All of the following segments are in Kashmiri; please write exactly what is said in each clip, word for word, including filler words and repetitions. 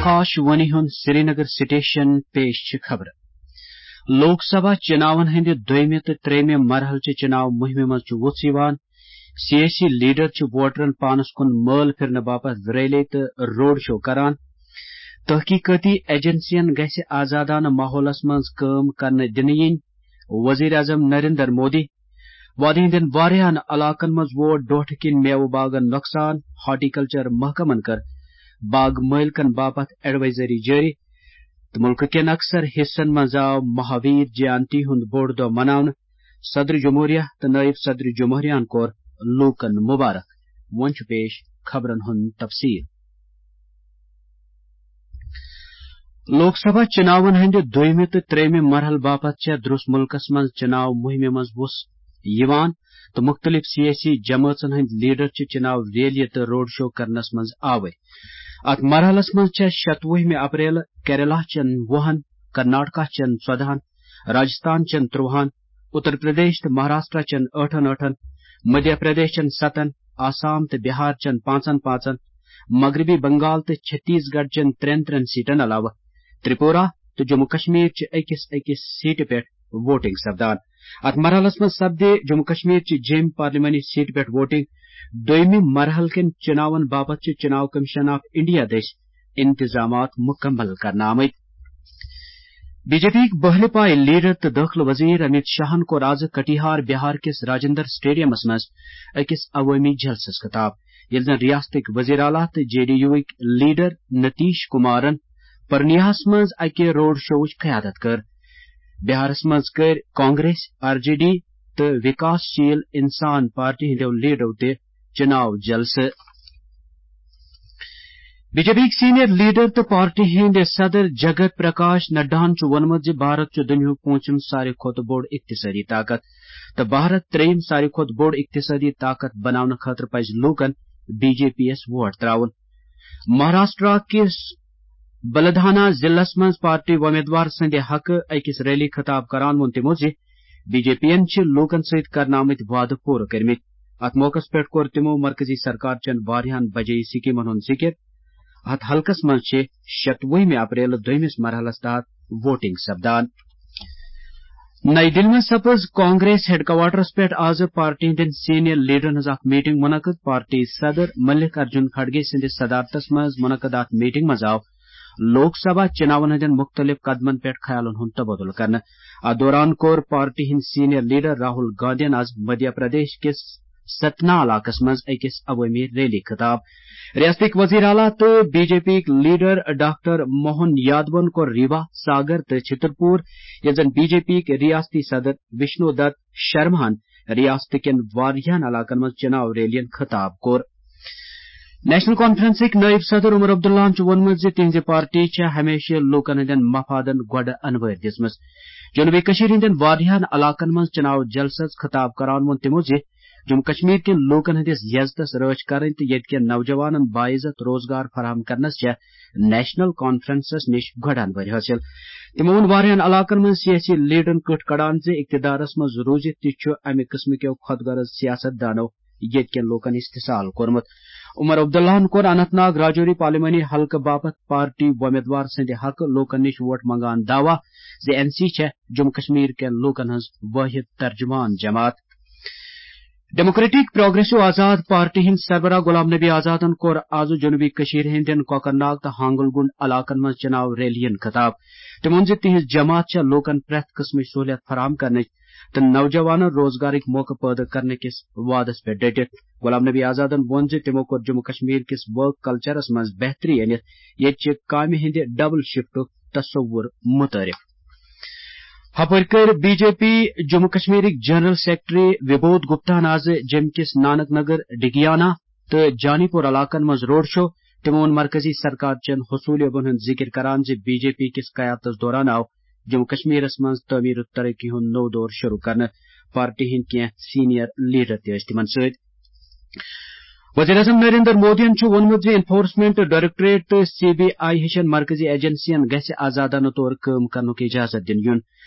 آکاشوانی ہُنٛد سرینگر سٹیشن۔ پیش چھِ خبرٕ۔ لوک سبھا چناون ہٕنٛدِ دوٚیمہِ تہٕ ترٛیٚیمہِ مرحلہٕ چہِ چناو مُہِمہِ منٛز چھُ وُژھ یِوان۔ سیٲسی لیڈر چھِ ووٹرن پانس کُن مٲل پھرنہٕ باپتھ ریلی تہٕ روڈ شو کران۔ تحقیقٲتی ایجنسین گژھِ آزادانہٕ ماحولس منٛز کٲم کرنہٕ دِنہٕ یِنۍ، وزیر اعظم نریندر مودی۔ وادی ہٕنٛدٮ۪ن واریاہن علاقن منٛز ووت ڈوٹھٕ کِنۍ میوٕ باغن نۄقصان، ہارٹیکلچر محکمن کٔر باغ مٲلکن باپتھ ایڈوائزری جٲری۔ تہٕ مُلکہٕ کٮ۪ن اکثر حصن منٛز آو مہاویر جینتی ہُنٛد بوٚڑ دۄہ مناونہٕ۔ صدر جمہوریہ تہٕ نٲیِب صدر جمہوریہن کوٚر لوٗکن مُبارک۔ وۄنۍ چھُ پیش خبرن ہُنٛد تفصیل۔ لوک سبھا چناون ہٕنٛدِ دوٚیمہِ تہٕ ترٛیٚیمہِ مرحلہٕ باپتھ چھےٚ درٛوس مُلکس منٛز چناو مُہِمہِ منٛز وُژھ یِوان تہٕ مُختٔلِف سیٲسی جمٲژن ہٕنٛدۍ لیڈر چھِ چناو ریلی تہٕ روڈ شو کرنس منٛز آوٕرۍ۔ اتھ مرحلس منٛز چھےٚ شتوُہمہِ اپریل کیرلا چٮ۪ن وُہن، کرناٹکا چٮ۪ن ژۄدہن، راجستھان چٮ۪ن ترٛوہن، اتر پردیش تہٕ مہاراشٹرا چٮ۪ن ٲٹھن ٲٹھن، مدھیہ پردیش چٮ۪ن ستن، آسام تہٕ بہار چٮ۪ن پانٛژن پانٛژن، مغربی بنگال تہٕ چھتیس گڑھ چٮ۪ن ترٛٮ۪ن ترٛٮ۪ن سیٹن علاوٕ ترپورہ تہٕ جموں کشمیر چہِ أکِس أکِس سیٹہِ پٮ۪ٹھ ووٹنگ سپدان۔ اتھ مرحلس منٛز سپدِ جموں کشمیر چہِ جیٚمۍ پارلیمانی سیٹہِ پٮ۪ٹھ ووٹنگ۔ دوٚیمہِ مرحلہٕ کٮ۪ن چُناون باپتھ چھِ چُناو کمیشن آف انڈیا دٔسۍ انتظامات مکمل کرنہٕ آمٕتۍ۔ بی جے پی یِکۍ بہلہِ پایہِ لیڈر تہٕ دٲخلہٕ وزیر امیت شاہن کوٚر آز کٹیہار بہار کِس راجندر سٹیڈیمس منٛز أکِس عوٲمی جلسس خطاب، ییٚلہِ زن ریاستٕکۍ وزیر اعلیٰ تہٕ جے ڈی یو وٕکۍ لیڈر نتیش کمارن پرنیاہس منٛز اکہِ روڈ شووٕچ قیادت کٔر۔ بہارس منٛز کٔرۍ کانگریس، آر جے ڈی تہٕ وکاس شیل انسان پارٹی ہٕنٛدیو لیڈرو تہِ چُناو جلسہٕ۔ بی جے پی یِکۍ سینئر لیڈر تہٕ پارٹی ہٕنٛدۍ صدر جگت پرکاش نڈاہن چھُ ووٚنمُت زِ بھارت چھُ دُنیاہُک پوٗنٛژِم ساروی کھۄتہٕ بوٚڑ اقتصٲدی طاقت تہٕ بھارت ترٛیٚیِم ساروی کھۄتہٕ بوٚڑ اقتصٲدی طاقت بناونہٕ خٲطرٕ پزِ لوٗکن بی جے پی یَس ووٹ ترٛاوُن۔ مہاراشٹرا کِس بلدھانا ضلعس منٛز پارٹی وۄمیدوار سٕنٛدِ حقہٕ أکِس ریلی خطاب کران ووٚن تِمو زِ بی جے پی یَن چھِ لوٗکن سۭتۍ کرنہٕ آمٕتۍ وعدٕ پوٗرٕ کٔرمٕتۍ۔ اتھ موقعس پٮ۪ٹھ کوٚر تِمو مرکزی سرکار چٮ۪ن واریاہن بجے سکیمن ہُنٛد ذِکِر۔ اتھ حلقس منٛز چھِ شتوُہمہِ اپریل دوٚیمِس مرحلس تحت ووٹنگ سپدان۔ نئی دِلہِ منٛز سپٕز کانگریس ہیڈ کوارٹرس پٮ۪ٹھ آز پارٹی ہٕنٛدٮ۪ن سینئر لیڈرن ہٕنٛز اکھ میٹنگ منعقد۔ پارٹی صدر ملک ارجن کھڑگے سٕنٛدِس صدارتس منٛز منعقد اتھ میٹنگ منٛز آو لوک سبھا چُناون ہٕنٛدٮ۪ن مُختٔلِف قدمن پٮ۪ٹھ خیالن ہُنٛد تبادلہٕ کرنہٕ۔ اتھ دوران کوٚر پارٹی ہٕنٛدۍ سینئر لیڈر راہل گاندھین آز مدھیہ پردیش کِس ستنا علاقس منٛز أکِس عوٲمی ریلی خطاب۔ ریاستٕکۍ وزیر اعلیٰ تہٕ بی جے پی یِکۍ لیڈر ڈاکٹر موہن یادون کوٚر ریوا، ساگر تہٕ چھترپور، ییٚلہِ زن بی جے پی یِکۍ ریاستی صدر وشنو دت شرماہن ریاست کٮ۪ن واریاہن علاقن منٛز چُناو ریلین خطاب کوٚر۔ نیشنل کانفرنسٕکۍ نٲیِب صدر عمر عبداللہن چھُ ووٚنمُت زِ تِہنٛزِ پارٹی چھےٚ ہمیشہِ لوٗکن ہٕنٛدٮ۪ن مفادن گۄڈٕ انوٲرۍ دِژمٕژ۔ جنوبی کٔشیٖرِ ہٕنٛدٮ۪ن واریاہن علاقن منٛز چُناو جلسس خطاب کران ووٚن تِمو زِ جموں کشمیر کٮ۪ن لوٗکن ہٕنٛدِس یزتس رٲچھ کرٕنۍ تہٕ ییٚتہِ کٮ۪ن نوجوانن باعزت روزگار فراہم کرنس چھےٚ نیشنل کانفرنسس نِش گۄڈٕ انوٲرۍ حٲصِل۔ تِمو ووٚن واریاہن علاقن منٛز سیٲسی لیڈرن کٔٹھۍ کڑان زِ اقتدارس منٛز روٗزِتھ تہِ چھُ امہِ قٕسمہٕ کٮ۪و خۄد غرض سیاست دانو ییٚتہِ کٮ۪ن لوٗکن استحصال کوٚرمُت۔ عمر عبداللہن کوٚر اننت ناگ راجوری پارلیمانی حلقہٕ باپتھ پارٹی وۄمیدوار سٕنٛدِ حقہٕ لوٗکن نِش ووٹ منگان دعویٰ زِ این سی چھےٚ جموں کشمیر کٮ۪ن لوٗکن ہٕنٛز وٲحد ترجمان جماعت۔ ڈیموکریٹک پروگریسو آزاد پارٹی ہٕنٛدۍ سربراہ غلام نبی آزادن کوٚر آز جنوبی کٔشیٖرِ ہٕنٛدٮ۪ن کۄکرناگ تہٕ ہانگل گُنڈ علاقن منٛز چُناو ریلین خطاب۔ تٔمۍ ووٚن زِ تِہنٛز جماعت چھےٚ لوٗکن پرٛٮ۪تھ قٕسمٕچ سہوٗلیت فراہم کرنٕچ تہٕ نوجوانن روزگارٕکۍ موقعہٕ پٲدٕ کرنہٕ کِس وعدس پٮ۪ٹھ ڈٔٹِتھ۔ غلام نبی آزادن ووٚن زِ تِمو کوٚر جموں کشمیر کِس ورک کلچرس منٛز بہتری أنِتھ ییٚتہِ چہِ کامہِ ہٕنٛدِ ڈبل شفٹُک تصور متعارف۔ ہپٲرۍ کٔر بی جے پی جموں کشمیرٕکۍ جنرل سیکرٹری وبودھ گپتاہن آز جیٚمہِ کِس نانک نگر، ڈگیانا تہٕ جانی پور علاقن منٛز روڈ شو۔ تِمو ووٚن مرکزی سرکار چٮ۪ن حصوٗلیابن ہُنٛد ذِکِر کران زِ بی جے پی کِس قیادتس دوران آو جموں کشمیرس منٛز تعمیٖر و ترقی ہُنٛد نوٚو دور شروع کرنہٕ۔ پارٹی ہٕنٛدۍ کینٛہہ سینئر لیڈر تہِ ٲسۍ تِمن سۭتۍ۔ وزیر اعظم نریندر مودیَن چھُ ووٚنمُت زِ انفورسمنٹ ڈائریکٹوریٹ تہٕ سی بی آئی ہِشن مرکزی ایجنسین گژھِ آزادانہٕ طور کٲم کرنُک اجازت دِنہٕ یُن۔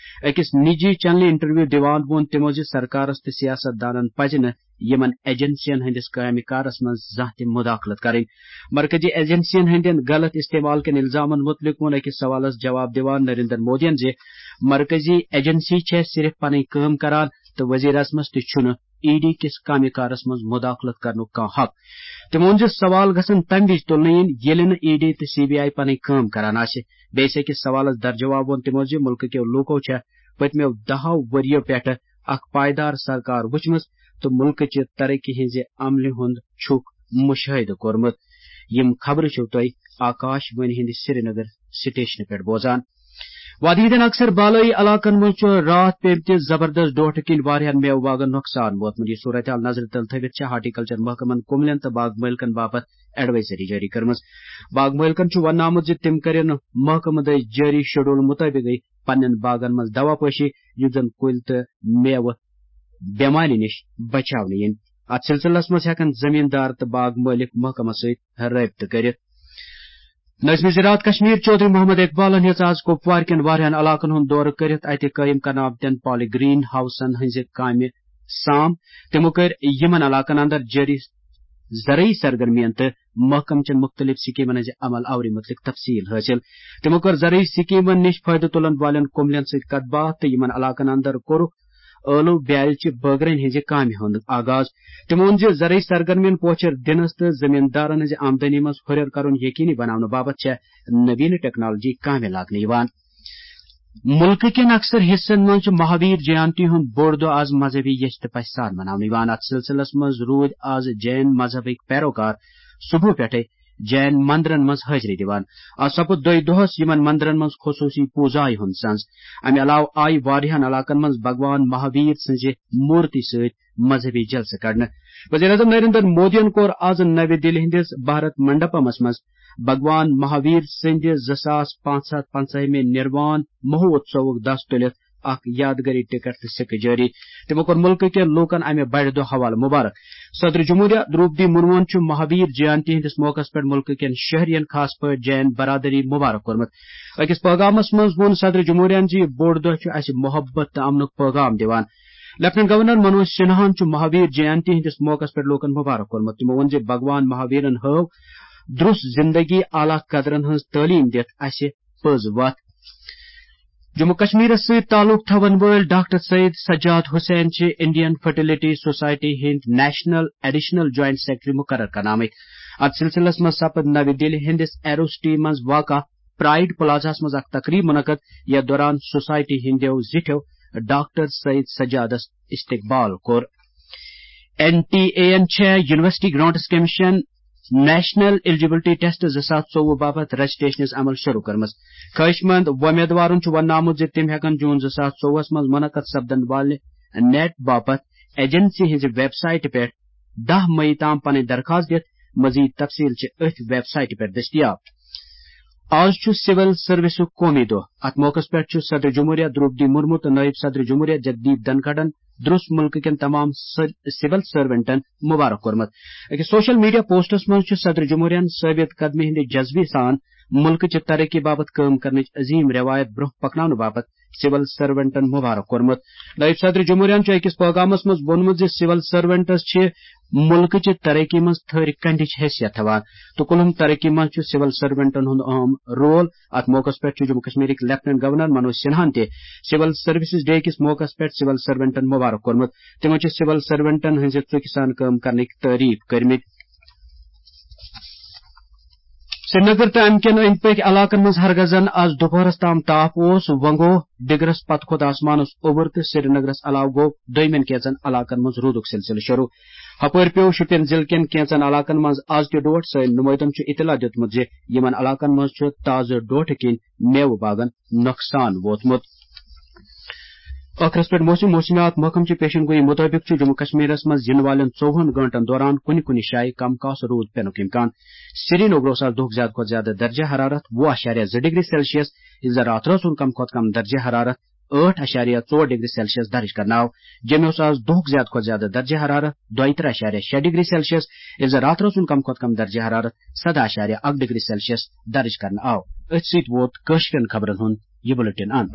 أکِس نجی چینلہِ انٹرویو دِوان ووٚن تِمو زِ سرکارس تہٕ سیاست دانن پزِ نہٕ یِمن ایجنسین ہٕنٛدِس کامہِ کارس منٛز زانٛہہ تہِ مداخلت کرٕنۍ۔ مرکزی ایجنسین ہٕنٛدٮ۪ن غلط استعمال کٮ۪ن الزامن مُتعلق ووٚن أکِس سوالس جواب دِوان نریندر مودیَن زِ مرکزی ایجنسی چھےٚ صرف پنٕنۍ کٲم کران تہٕ وزیر اعظمس تہِ چھُنہٕ ای ڈی کِس کامہِ کارس منٛز مداخلت کرنُک کانٛہہ حق۔ تِمو ووٚن زِ سوال گژھن تَمہِ وِزِ تُلنہٕ یِنۍ، ییٚلہِ نہٕ ای ڈی تہٕ سی بی آئی پنٕنۍ کٲم کران آسہِ۔ بیٚیہِ أکِس سوالس درجواب ووٚن تِمو زِ مُلکہٕ کیو لوٗکو چھےٚ پٔتمیو دَہو ؤرِیو پٮ۪ٹھٕ اکھ پائیدار سرکار وٕچھمٕژ تہٕ مُلکہٕ چہِ ترقی ہٕنٛزِ عملہِ ہُنٛد چھُکھ مُشٲہدٕ کوٚرمُت۔ یِم خبرٕ چھِو تُہۍ آکاش وانی ہٕنٛدِ سرینگر سٹیشنہٕ پٮ۪ٹھ بوزان۔ وادی ہٕنٛدٮ۪ن اکثر بالٲیی علاقن منٛز چھُ راتھ پیٚمتہِ زبردست ڈوٹھٕ کِنۍ واریاہن میوٕ باغن نۄقصان ووتمُت۔ یہِ صورتحال نظرِ تل تھٲوِتھ چھےٚ ہارٹیکلچر محکمن کُملٮ۪ن تہٕ باغ مٲلکن باپتھ ایڈوائزری جٲری کٔرمٕژ۔ باغ مٲلکن چھُ وننہٕ آمُت زِ تِم کٔرِن محکمہٕ دٔسۍ جٲری شیڈول مُطٲبقٕے پننٮ۪ن باغن منٛز دوا پٲشی، یُتھ زن کُلۍ تہٕ میوٕ بٮ۪مارِ نِش بچاونہٕ یِن۔ اتھ سلسلس منٛز ہٮ۪کن زمیٖندار تہٕ باغ مٲلک محکمس سۭتۍ رٲبطہٕ کٔرِتھ۔ نٲظمِ زراعت کشمیر چودھری محمد اقبالن ہیٚژ آز کپوارِ کٮ۪ن واریاہن علاقن ہُنٛد دورٕ کٔرِتھ اتہِ قٲیِم کرنہٕ آمتٮ۪ن پالی گرین ہاوسن ہٕنٛزِ کامہِ سام۔ تِمو کٔرۍ یِمن علاقن اندر جٲری زرعی سرگرمین تہٕ محکمہٕ چٮ۪ن مُختٔلِف سکیمن ہٕنٛزِ عمل آوری مُتعلق تفصیل حٲصِل۔ تِمو کٔر زرعی سکیمن نِش فٲیدٕ تُلن والٮ۪ن کُملٮ۪ن سۭتۍ کتھ باتھ تہٕ یِمن علاقن اندر کوٚرُکھ ٲلو بیالہِ چہِ بٲگرٲنۍ ہٕنٛزِ کامہِ ہُنٛد آغاز۔ تِمو ووٚن زِ زرعی سرگرمین پوچھر دِنس تہٕ زمیٖندارن ہٕنٛزِ آمدنی منٛز ہُرٮ۪ر کرُن یقینی بناونہٕ باپتھ چھےٚ نوینہ ٹیکنالوجی کامہِ لاگنہٕ یِوان۔ مُلکہٕ کٮ۪ن اکثر حصن منٛز چھُ مہاویر جینتی ہُنٛد بوٚڑ دۄہ آز مذہبی یژھِ تہٕ پژھِ سان مناونہٕ یِوان۔ اتھ سلسلس منٛز روٗدۍ آز جین مذہبٕکۍ پیروکار صبحہٕ پٮ۪ٹھے جین مندرن منٛز حٲضری دِوان۔ آز سپُد دۄیہِ دۄہس یِمن مندرن منٛز خصوٗصی پوٗزایہِ ہُنٛد سنز۔ امہِ علاوٕ آیہِ واریاہن علاقن منٛز بھگوان مہاویر سٕنزِ مورتی سۭتۍ مذہبی جلسہٕ کڑنہٕ۔ وزیر اعظم نریندر مودیَن کوٚر آز نَوِ دِلہِ ہٕنٛدِس بھارت منڈپمس منٛز بھگوان مہاویر سٕنٛدِ زٕ ساس پانٛژھ ہتھ پنٛژاہمہِ نروان مہوتسوُک دس تُلِتھ اکھ یادگٲری ٹکٹ تہٕ سکہٕ جٲری۔ تِمو کوٚر مُلکہٕ کٮ۪ن لوٗکن امہِ بڑِ دۄہ حوالہٕ مبارک۔ صدر جمہوریہ درٛوپدی مرموہن چھُ مہاویر جینتی ہٕنٛدِس موقعس پٮ۪ٹھ مُلکہٕ کٮ۪ن شہرین، خاص پٲٹھۍ جین برادری، مبارک کوٚرمُت۔ أکِس پٲغامس منٛز ووٚن صدر جمہوریہن زِ یہِ بوٚڑ دۄہ چھُ اسہِ محبت تہٕ امنُک پٲغام دِوان۔ لیفٹیننٹ گورنر منوج سنہاہن چھُ مہاویر جینتی ہٕنٛدِس موقعس پٮ۪ٹھ لوٗکن مبارک کوٚرمُت۔ تِمو ووٚن زِ بھگوان مہاویرن ہٲو درُس زندگی اعلیٰ قدرن ہٕنٛز تعلیٖم دِتھ اسہِ پٔز وتھ۔ جموں کشمیرس سۭتۍ تعلق تھاون وٲلۍ ڈاکٹر سید سجاد حسین چھِ انڈین فرٹیلٹی سوسائٹی ہٕنٛدۍ نیشنل ایڈیشنل جوائنٹ سیکرٹری مقرر کرنہٕ آمٕتۍ۔ اتھ سلسلس منٛز سپد نَوِ دِلہِ ہٕنٛدِس ایروسٹی منٛز واقع پرائیڈ پلازاہس منٛز اکھ تقریب منعقد، یتھ دوران سوسائٹی ہٕنٛدیو زِٹھیو ڈاکٹر سید سجادس استقبال کوٚر۔ این ٹی اے یَن چھےٚ university grants commission national eligibility test زٕ ساس ژوٚوُہ باپتھ رجسٹریشنٕچ عمل شروع کٔرمٕژ۔ خواہش مند وۄمیدوارن چھُ وننہٕ آمُت زِ تِم ہٮ۪کن جون زٕ ساس ژوٚوُہس منٛز منعقد سپدن والہِ نیٹ باپتھ ایجنسی ہٕنٛزِ ویب سایٹہِ پٮ۪ٹھ دَہ مئی تام پنٕنۍ درخواست دِتھ۔ مزید تفصیل چھِ أتھۍ ویب سایٹہِ پٮ۪ٹھ دٔستیاب۔ آز چھُ سول سروسُک قومی دۄہ۔ اتھ موقعس پٮ۪ٹھ چھُ صدر جمہوریہ درٛوپدی مرمو تہٕ نٲیِب صدر جمہوریہ جگدیپ دھنکھڑن درُس مُلکہٕ کٮ۪ن تمام سر-، سول سرونٹن مبارک کوٚرمُت۔ أکِس سوشل میڈیا پوسٹس منٛز چھُ صدر جمہوریہن ثٲبت قدمی ہٕنٛدِ جذبہٕ سان مُلکہٕ چہِ ترقی باپتھ کٲم کرنٕچ عظیم رٮ۪وایت برٛونٛہہ پکناونہٕ باپتھ سول سرونٹن مبارک کوٚرمُت۔ نٲیِب صدر جمہوریہن چھُ أکِس پٲغامس منٛز ووٚنمُت زِ سول سرونٹس چھِ مُلکہٕ چہِ ترقی منٛز تھٔرۍ کنڈِچ حیثیت تھاوان تہٕ کُلہُم ترقی منٛز چھُ سول سرونٹن ہُنٛد اہم رول۔ اتھ موقعس پٮ۪ٹھ چھُ جموں کشمیرٕکۍ لیفٹیننٹ گورنر منوج سنہاہن تہِ سول سروسز ڈے کِس موقعس پٮ۪ٹھ سول سرونٹن مبارک کوٚرمُت۔ تِمو چھِ سول سرونٹن ہٕنٛزِ ژُکہِ سان کٲم کرنٕکۍ تعریف کٔرمٕتۍ۔ سرینگر تہٕ امہِ کٮ۪ن أنٛدۍ پٔکۍ علاقن منٛز ہرگزن از دُپہرس تام تاپھ اوس، وۄنۍ گوٚو دِگرس پتہٕ کھوٚت آسمانس اوٚبُر تہٕ سرینگرس علاوٕ گوٚو دوٚیمٮ۪ن کینٛژن علاقن منٛز روٗدُک سلسلہٕ شروع۔ ہپٲرۍ پیوٚو شُپین ضلعہٕ کٮ۪ن کینٛژن علاقن منٛز از تہِ ڈوٹھ۔ سٲنۍ نُمٲیندن چھُ اطلاع دیُتمُت زِ یِمن علاقن منٛز چھُ تازٕ ڈوٹھٕ کِنۍ میوٕ باغن نۄقصان ووتمُت۔ ٲخرس پٮ۪ٹھ موسم۔ موسمیات محکمہٕ چہِ پیشن گویی مُطٲبِق چھُ جموں کشمیرس منٛز یِنہٕ والٮ۪ن ژوٚوُہن گٲنٛٹن دوران کُنہِ کُنہِ جایہِ کم کاس روٗد پینُک امکان۔ سرینگرس آز دۄہُک زیادٕ کھۄتہٕ زیادٕ درجہ حرارت وُہ اعشاریہ زٕ ڈگری سیلسیس، ییٚلہِ زن راتھ رٲژ ہُنٛد کم کھۄتہٕ کم درجہ حرارت ٲٹھ اَشاریہ ژور ڈگری سیلسیس درج کرنہٕ آو۔ جوٚمہِ اوس آز دۄہُک زیادٕ کھۄتہٕ زیادٕ درجہ حرارت دۄیہِ ترٕٛہ اَشاریہ شےٚ ڈگری سیلسیس، ییٚلہِ زِ راتہٕ اوس کُن کم کھۄتہٕ کم درجہ حرارت سداہ اَشاریہ اکھ ڈگری سیلسیس درج کرنہٕ آو۔ أتھۍ سۭتۍ ووت کٲشرٮ۪ن خبرن ہُنٛد یہِ بُلٹن اند۔